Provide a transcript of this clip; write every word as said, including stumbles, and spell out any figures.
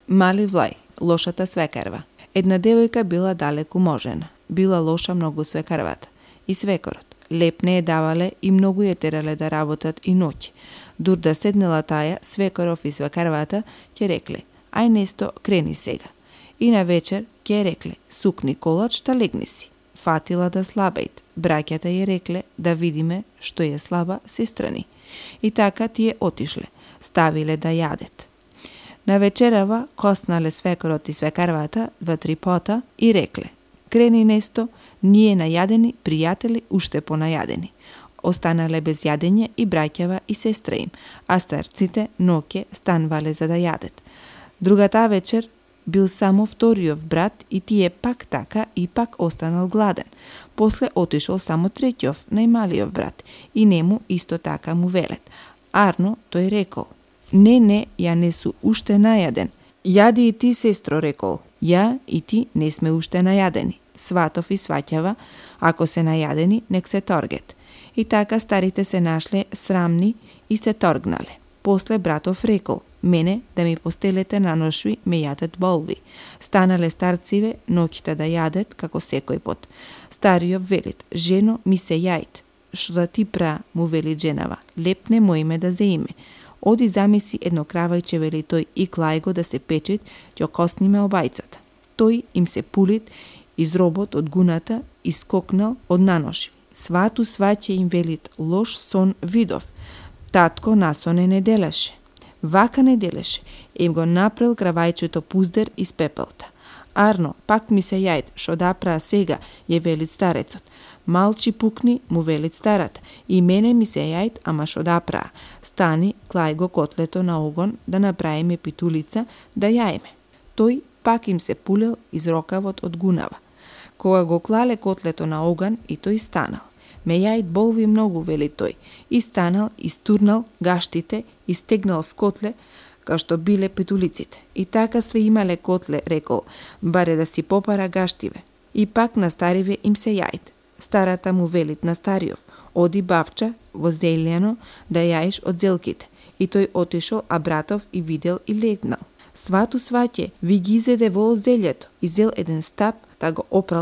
Мали Влај, лошата свекарва. Една девојка била далеку можена. Била лоша многу свекарвата. И свекорот. Леп не е давале и многу ја терале да работат и ноќ. Дур да седнела таја, свекоров и свекарвата ќе рекле: ај несто, крени сега. И на вечер ќе рекле: сукни колач, та легни си. Фатила да слабејт. Браќата ја рекле: да видиме што е слаба сестрани. И така тие отишле. Ставиле да јадет. На вечерава коснале свекорот и свекарвата два-три пота и рекле: крени несто, ние најадени пријатели уште понајадени. Останале без јадење и браќава и сестра им, а старците ноќе станвале за да јадет. Другата вечер бил само вториот брат и тие пак така и пак останал гладен. После отишол само третиот, најмалиот брат, и нему исто така му велет. Арно тој рекол: не, не, ја не су уште најаден. Јади и ти, сестро, рекол. Ја и ти не сме уште најадени. Сватов и сваќава, ако се најадени, нек се торгет. И така старите се нашле срамни и се торгнале. После братов рекол: мене да ми постелете на ношви ме јадат болви. Станале старциве ноќта да јадет како секој пот. Стариот велит: жено, ми се јајт. Што да ти пра, му вели женава, лепне моиме да зеиме. Оди замиси едно кравајче, вели тој, и клај го да се печет, ќе косниме обајцата. Тој им се пулит из робот од гуната и скокнал од наношви. Свату сваќе им велит: лош сон видов. Татко насоне не делеше. Вака не делеше. Им го напрел кравајчето пуздер из пепелта. Арно, пак ми се јајд, шо да пра сега, ја велит старецот. Малчи пукни, му велит старата. И мене ми се јајд, ама шо да пра. Стани, клај го котлето на огон, да направиме питулица, да јаеме. Тој пак им се пулел из рокавот од гунава. Кога го клале котлето на оган, и тој станал. Ме јајд болви многу, вели тој. И станал, истурнал гаштите, и стегнал в котле, као што биле петулиците. И така све имале котле, рекол, баре да си попара гаштиве. И пак на стариве им се јајд. Старата му велит на стариов: оди бавча во зелјано да јаеш од зелките. И тој отишол, а братов и видел и легнал. Свату сваќе, ви ги изеде вол зелјето, и зел еден стап, да го опрал